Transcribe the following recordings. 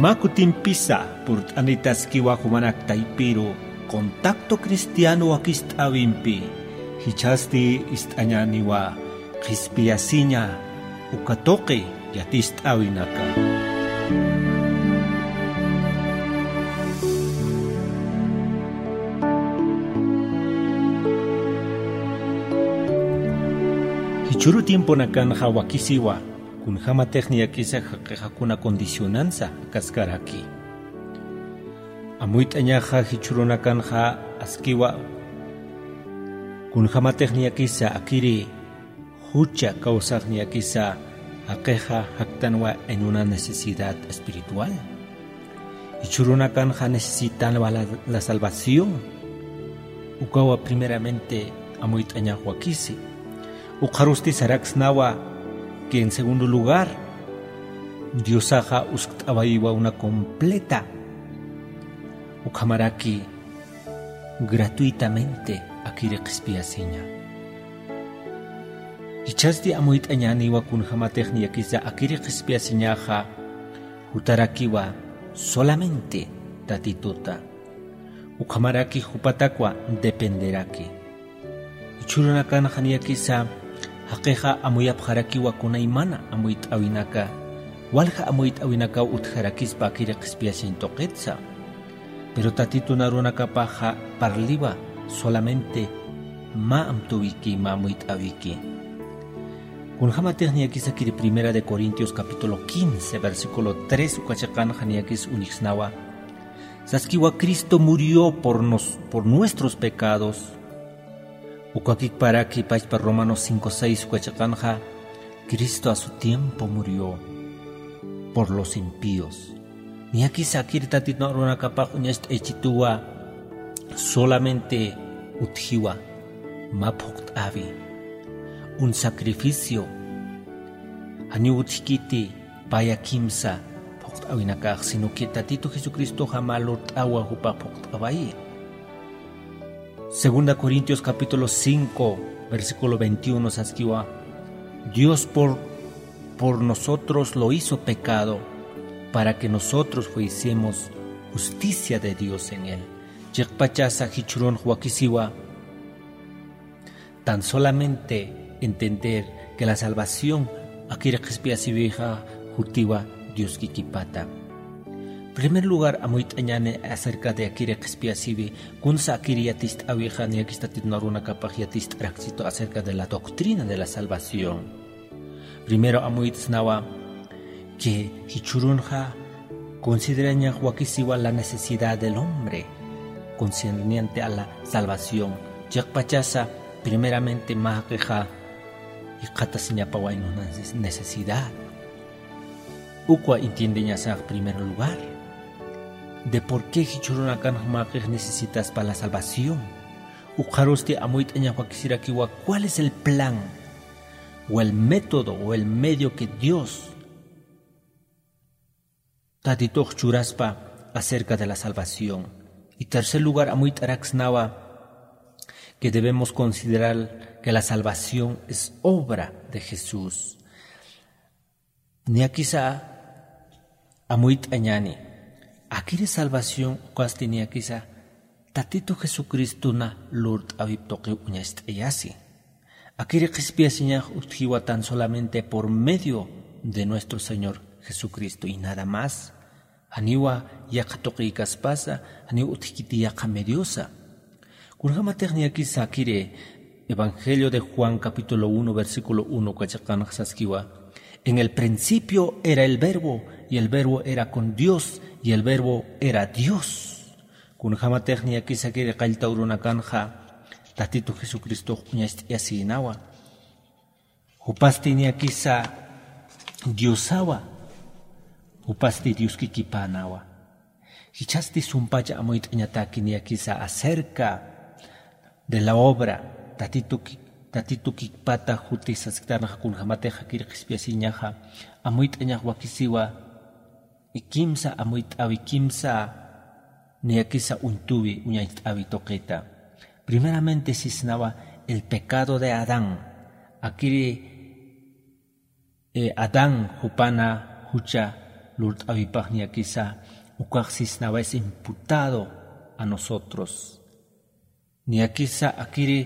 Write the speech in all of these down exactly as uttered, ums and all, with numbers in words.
Mä kutimpisa purt'anitaskiwa jumanak taypiru Contacto Cristiano wakist'äwimpi, jichhasti ist'añäniwa qhispiyasiña uka tuqi yatist'äwinaka. Jichhüru tiemponakanxa wakisiwa, kunjämatix niyakisa jaqixa kuna condicionansa jakaskaraki. Amuyt'añaxa jichhürunakanxa askiwa, kunjämatix niyakisa akiri jucha kawsax niyakisa jaqixa jaktanwa en una necesidad espiritual. Jichhürunakanxa necesitanwa la, la salvación. Ukawa primeramente amuyt'añax wakisi. Ukxarusti saraksnawa que en segundo lugar, Diosaxa uskt'awayiwa una completa, ukhamaraki gratuitamente akiri qhispiyasiña. Jichhasti amuyt'añäniwa kunjämatix niyakisa akiri qhispiyasiñaxa jutarakiwa solamente Tatituta. Ukhamaraki jupatakwa dependeraki. Jichhürunakanxa niyakisa jaqixa amuyapxarakiwa kunaymana amuyt'äwinaka, walja amuyt'äwinakaw utjarakispa akiri qhispiyasiñ tuqitsa. Pero Tatitun arunakapaxa parliwa solamente mä amtuwiki, mä amuyt'äwiki. Kunjämatix niyakisa akiri Primera de Corintios capítulo quince, versículo tres uka chiqanxa niyakis uñjsnawa. Saskiwa Cristo murió por nos, por nuestros pecados. Ukakikparaki pachpa Romanos cinco seis uka chiqanxa, Cristo a su tiempo murió por los impíos. Niyakisa akiri Tatitun arunakapax uñacht'aychituwa solamente utjiwa, mä phuqt'äwi, un sacrificio. Janiw utjkiti paya kimsa phuqt'äwinakax, sino que Tatitu Jesucristoxa mä lurt'awa jupa phuqt'awayi. Segunda Corintios capítulo cinco, versículo veintiuno saskiwa, Dios por, por nosotros lo hizo pecado, para que nosotros fuésemos justicia de Dios en él. Chiqpachasa jichhürunx wakisiwa, tan solamente entender que la salvación akiri qhispiyasiwixa jutiwa Dioskikipata. Primer lugar, amuyt'añäni acerca de akiri qhispiyasiwi, kunsa akiri yatist'äwixa, niyakis Tatitun arunakapax yatist'araksitu acerca de la doctrina de la salvación. Primero amuyt'snawa que jichhürunxa considerañax wakisiwa la necesidad del hombre concerniente a la salvación. Chiqpachasa primeramente mä jaqixa jikxatasiñapawa en una necesidad. Ukwa entiendeñasax primer lugar de por qué jichhürunakanxa mä jaqix necesitaspa la salvación. Ukxarusti amuyt'añax wakisirakiwa cuál es el plan o el método o el medio que Dios Tatitux churaspa acerca de la salvación. Y tercer lugar, amuyt'araksnawa que debemos considerar que la salvación es obra de Jesús. Niyakisa amuyt'añäni. Akiri salvación ukasti niyakisa Tatitu Jesucristona lurt'äwip tuqiw uñacht'ayasi. Akiri qhispiyasiñax utjiwa tan solamente por medio de nuestro Señor Jesucristo y nada más. Janiwa yaqha tuqiykaspasa, janiw utjkiti yaqha mediosa. Kunjämatix niyakisa akiri Evangelio de Juan capítulo uno, versículo uno uka chiqanxa saskiwa: En el principio era el Verbo, y el Verbo era con Dios, y el Verbo era Dios. Kunjämatix niyakisa akiri qallta urunakanxa Tatitu Jesucristox uñacht'ayasïnawa. Jupasti niyakisa Diosawa, jupasti Dioskikipanawa. Jichhasti sumpacha amuyt'añataki niyakisa acerca de la obra, Tatitu ki-, Tatitukikpata juti sasktanxa kunjämatix akiri qhispiyasiñaxa, amuyt'añax wakisiwa, kimsa amuyt'äwi, kimsa niyakisa uñt'äwi, uñacht'äwi tuqita. Primeramente sisnawa el pecado de Adán. Akiri, eh, Adán jupana jucha lurt'awipax niyakisa ukax sisnawa es imputado a nosotros. Niyakisa akiri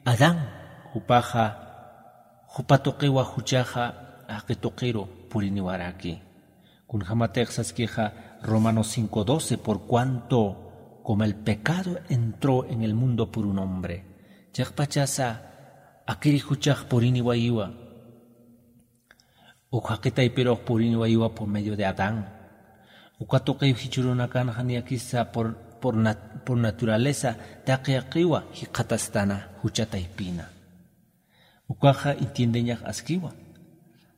Adán jupaxa jupa tuqiwa juchaxa jaqi tuqiru puriniwaraki. Kunjämatix saskixa Romanos cinco doce, por cuanto como el pecado entró en el mundo por un hombre. Chiqpachasa akiri juchax puriniwayiwa. Uk jaqi taypirux puriniwayiwa por medio de Adán. Uka tuqiw jichhürunakanxa niyakisa por, por nat-, por naturaleza taqi jaqiwa jikxatastana jucha taypina. Ukaxa entiendeñax askiwa.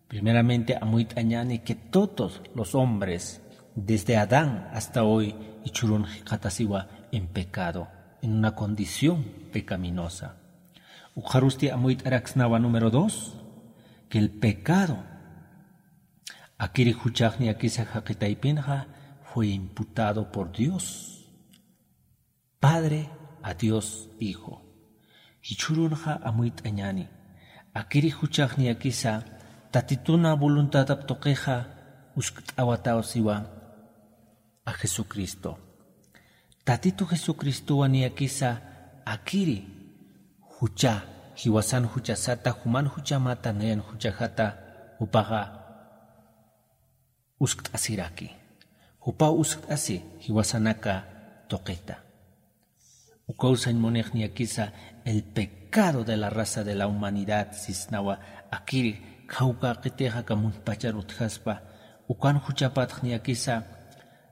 Primeramente amuyt'añäni que todos los hombres, desde Adán hasta hoy, jichhürun jikxatasiwa en pecado, en una condición pecaminosa. Ukxarusti amuyt'araksnawa número dos, que el pecado akiri juchax niyakisa jaqi taypinxa fue imputado por Dios Padre a Dios Hijo. Jichhürunxa amuyt'añäni. Akiri juchax niyakisa Tatituna voluntadap tuqixa uskt'awatawsiwa a Jesucristo. Tatitu Jesucristowa niyakisa akiri jucha, jiwasan juchasata, juman juchamata, nayan juchajata, jupaxa uskt'asiraki. Jupaw uskt'asi jiwasanaka tuqita. Ukaw sañ munix niyakisa el pecado de la raza de la humanidad sisnawa akiri, kawkaqitixa aka muntpachar utjaspa, ukan juchapatx niyakisa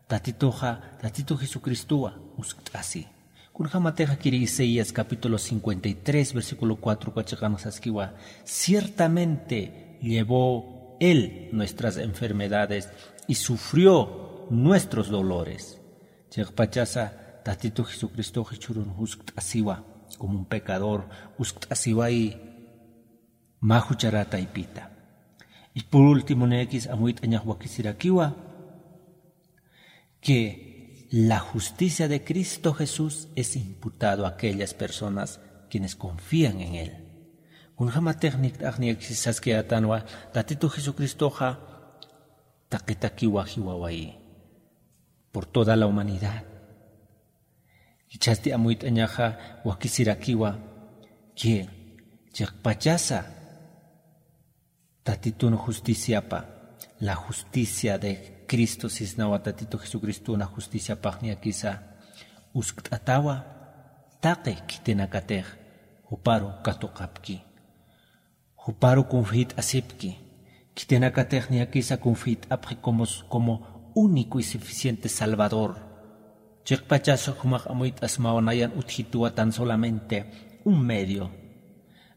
Tatituxa, Tatitu Jesucristowa uskt'asi. Kunjämatix akiri Isaías capítulo cincuenta y tres, versículo cuatro uka chiqanx saskiwa: "Ciertamente llevó él nuestras enfermedades y sufrió nuestros dolores". Chiqpachasa Tatitu Jesucristox jichhürun uskt'asiwa, como un pecador, uskt'asiwayi mä jucharat taypita. Y por último, niyakis amuyt'añax wakisirakiwa que la justicia de Cristo Jesús es imputado a aquellas personas quienes confían en él. Kunjämatix nikt'ax niyakis saskayätanwa, Tatitu Jesucristoxa taqitakiwa jiwawayi por toda la humanidad. Jichhasti amuyt'añaxa wakisirakiwa que chiqpachasa Tatitun justiciapa, la justicia de Cristo sisnawa Tatitu Jesucristuna justiciapax niyakisa uskt'atawa taqi khitinakatix juparu katuqapki. Juparu confiyt'asipki. Khitinakatix niyakisa confiyt'apxi como, como único y suficiente Salvador. Chiqpachasa jumax amuyt'asmawa nayan utjituwa tan solamente un medio.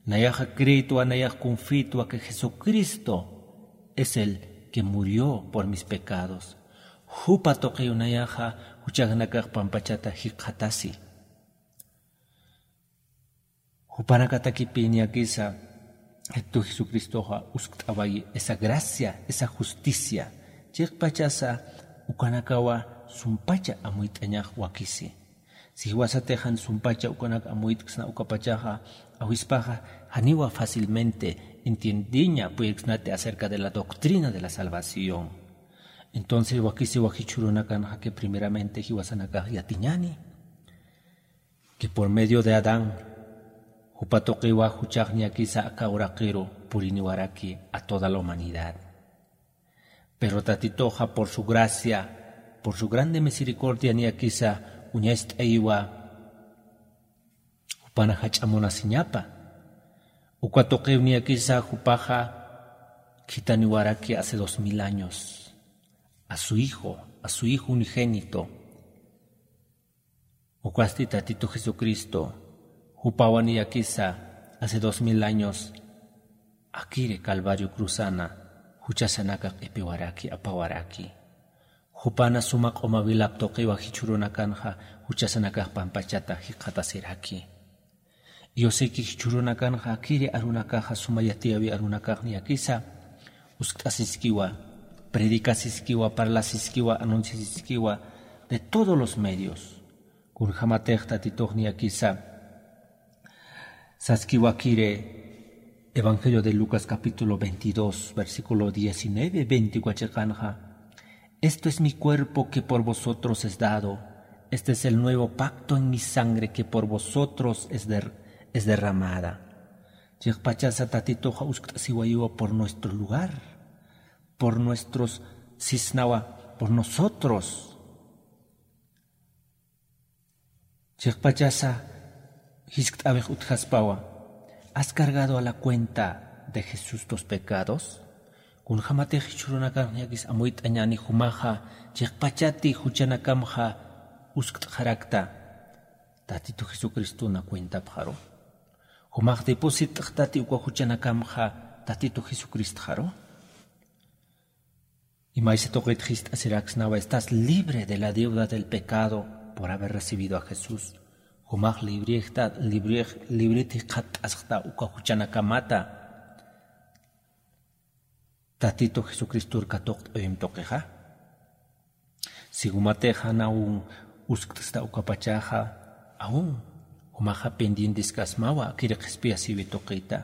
Nayaxa creetwa, nayax confiytwa que Jesucristo es el que murió por mis pecados. Jupa tuqiw nayaxa juchajanakax pampachata jikxatasi. Jupanakatakipï niyakisa Tatitu Jesucristoxa uskt'awayi esa gracia, esa justicia. Chiqpachasa ukanakawa sumpacha amuyt'añax wakisi. Si jiwasatix jan sumpacha ukanak amuyt'ksna ukapachaxa, awispaxa janiwa fácilmente entiendiña puyirksnati acerca de la doctrina de la salvación. Entonces wakisiwa jichhürunakanxa que primeramente jiwasanakax yatiñäni que por medio de Adán, jupa tuqiwa juchax niyakisa aka uraqiru puriniwaraki a toda la humanidad. Pero Tatituxa por su gracia, por su grande misericordia niyakisa uñacht'ayiwa jupan jach'a munasiñapa. Uka tuqiw niyakisa jupaxa khitaniwaraki hace dos mil años a su Hijo, a su Hijo unigénito. Ukasti Tatitu Jesucristo, jupawa niyakisa hace dos mil años akiri Calvario cruzana juchasanakax q'ipiwaraki, apawaraki. Jupana suma q'uma wilap tuqiwa jichhürunakanxa juchasanakax pampachata jikxatasiraki. Yo sé que jichhürunakanxa akiri arunakaxa suma yatiyäwi arunakax niyakisa uskt'asiskiwa, predicasiskiwa, parlasiskiwa, anunciasiskiwa de todos los medios. Kunjämatix Tatitux niyakisa saskiwa akiri Evangelio de Lucas capítulo veintidós, versículo diecinueve, veinte uka chiqanxa: "Esto es mi cuerpo que por vosotros es dado. Este es el nuevo pacto en mi sangre que por vosotros es der-, es derramada". Chiqpachasa Tatituxa uskt'asiwayiwa por nuestro lugar, por nuestros, sisnawa, por nosotros. Chiqpachasa jiskt'awix utjaspawa: ¿Has cargado a la cuenta de Jesús tus pecados? Kunjamatix jichhürunakan niyakis amuyt'añäni jumaxa chiqpachati juchanakamxa uskt'xarakta, Tatitu Jesucristona cuentapxaru. Jumax depositxtati uka juchanakamxa Tatitu Jesucristxaru. Y maysa tuqit jiskt'asiraksnawa: "Estás libre de la deuda del pecado por haber recibido a Jesús". Jumax librexta, librix-, librit jikxatt'asxta uka juchanakamata Tatitu Jesucristor katuqt'awimp tuqixa. Si jumatix jan aún uskt'sta ukapachaxa, aún jumaxa pendienteskasmawa akir qhispiyasïwi tuqita.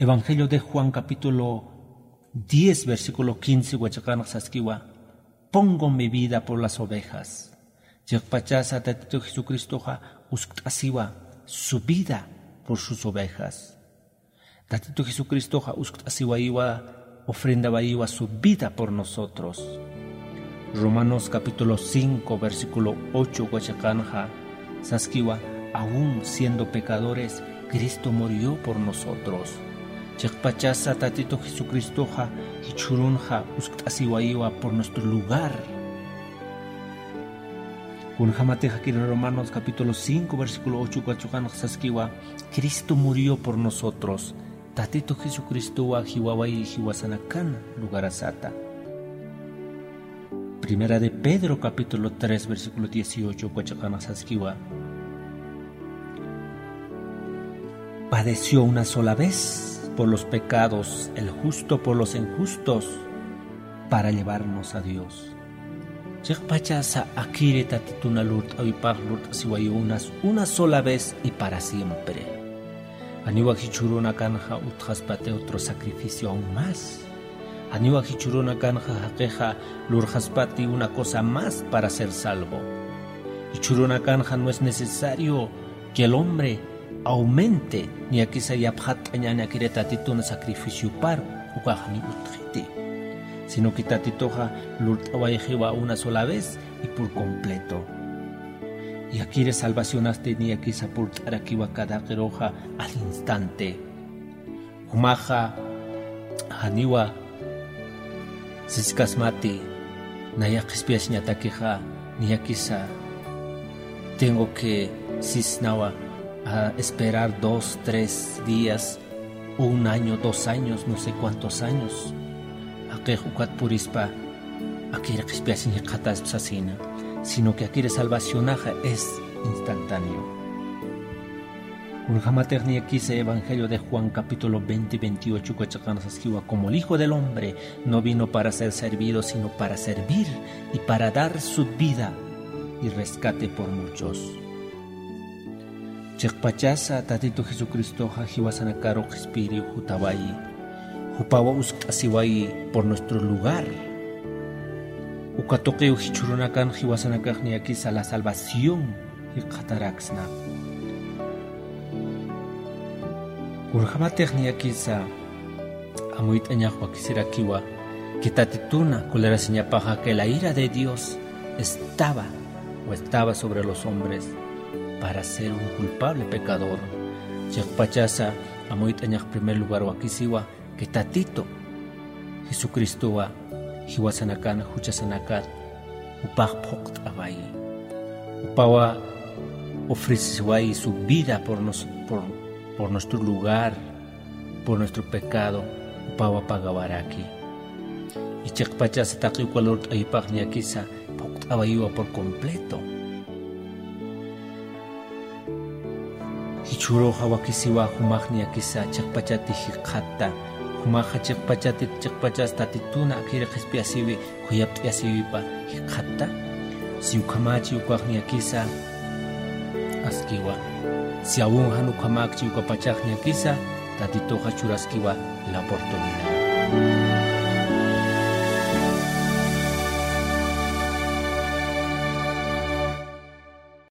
Evangelio de Juan capítulo diez, versículo quince, uka chiqanx saskiwa: "Pongo mi vida por las ovejas". Chiqpachasa Tatitu Jesucristoxa uskt'asiwa su vida por sus ovejas. Tatitu Jesucristoxa uskt'asiwayiwa, ofrendawayiwa su vida por nosotros. Romanos capítulo cinco, versículo ocho, uka chiqanxa saskiwa: "Aún siendo pecadores, Cristo murió por nosotros". Chiqpachasa Tatitu Jesucristoxa jichhürunxa uskt'asiwayiwa por nuestro lugar. Kunjamatix akir Romanos capítulo cinco, versículo ocho, uka chiqanx saskiwa: "Cristo murió por nosotros". Tatitu Jesucristowa jiwawayi jiwasanakan lugarasata. Primera de Pedro, capítulo tres, versículo dieciocho, uka chiqanx saskiwa: "Padeció una sola vez por los pecados, el justo por los injustos, para llevarnos a Dios". Chiqpachasa akiri Tatituna lurt'awipax lurt'asiwayi unas, una sola vez y para siempre. Janiwa jichhürunakanxa utjaspati otro sacrificio aún más. Janiwa jichhürunakanxa jaqixa lurxaspati una cosa más para ser salvo. Jichhürunakanxa no es necesario que el hombre aumente, niyakisa yapxatt'añäni akiri Tatitun sacrificiopar, ukax ni utjiti. Sino que Tatituxa lurt'awayxiwa una sola vez y por completo. Y akiri salvacionasti niyakisa purt'arakiwa cada qiruxa al instante. Jumaxa janiwa siskasmati, nayax qhispiyasiñatakixa, niyakisa tengo que sisnawa a esperar dos, tres días, o un año, dos años, no sé cuántos años. Jaqix ukat purispa akir qhispiyasiñ jikxataspa sasina, sino que akir salvacionaxa es instantáneo. Kunjamatix niyakisa Evangelio de Juan capítulo veinte, veintiocho, uka chiqanx saskiwa: "Como el Hijo del Hombre no vino para ser servido, sino para servir y para dar su vida y rescate por muchos". Chiqpachasa Tatitu Jesucristoxa jiwasanakaru qhispiyiriw jutawayi. Jupawa uskt'asiwayi por nuestro lugar. Uka tuqiw jichhürunakan jiwasanakax niyakisa la salvación jikxataraksna. Kunjamatix niyakisa amuyt'añax wakisirakiwa que Tatituna colerasiñapaxa, que la ira de Dios estaba o estaba sobre los hombres para ser un culpable pecador. Chiqpachasa amuyt'añax primer lugar wakisiwa que Tatitu Jesucristowa jiwasanakan juchasanakat jupax phuqt'awayi. Jupawa ofreciwayi su vida por nos-, por, por nuestro lugar, por nuestro pecado, jupawa pagawaraki. Y chiqpachasa taqi uka lurt'awipax niyakisa phuqt'awayiwa por completo. Jichhüruxa wakisiwa jumax niyakisa chiqpachati jikxatta, jumaxa chiqpachati, chiqpachas Tatituna akiri qhispiyasiwi, khuyapt'ayasiwipa jikxatta. Si ukhamächi ukax niyakisa askiwa. Si aún jan ukhamäkchi ukapachax niyakisa, Tatituxa churaskiwa la oportunidad.